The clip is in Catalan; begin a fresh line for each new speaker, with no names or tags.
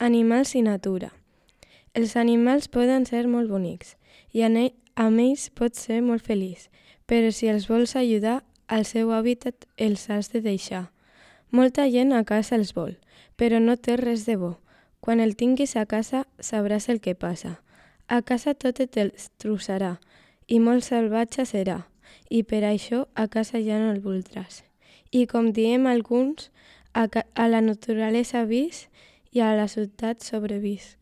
Animals i natura. Els animals poden ser molt bonics i amb ells pots ser molt feliç, però si els vols ajudar, al seu hàbitat els has de deixar. Molta gent a casa els vol, però no té res de bo. Quan el tinguis a casa sabràs el que passa. A casa tot et destrossarà i molt salvatge serà, i per això a casa ja no el voldràs. I com diem alguns, a la naturalesa vis i a la ciutat sobrevis.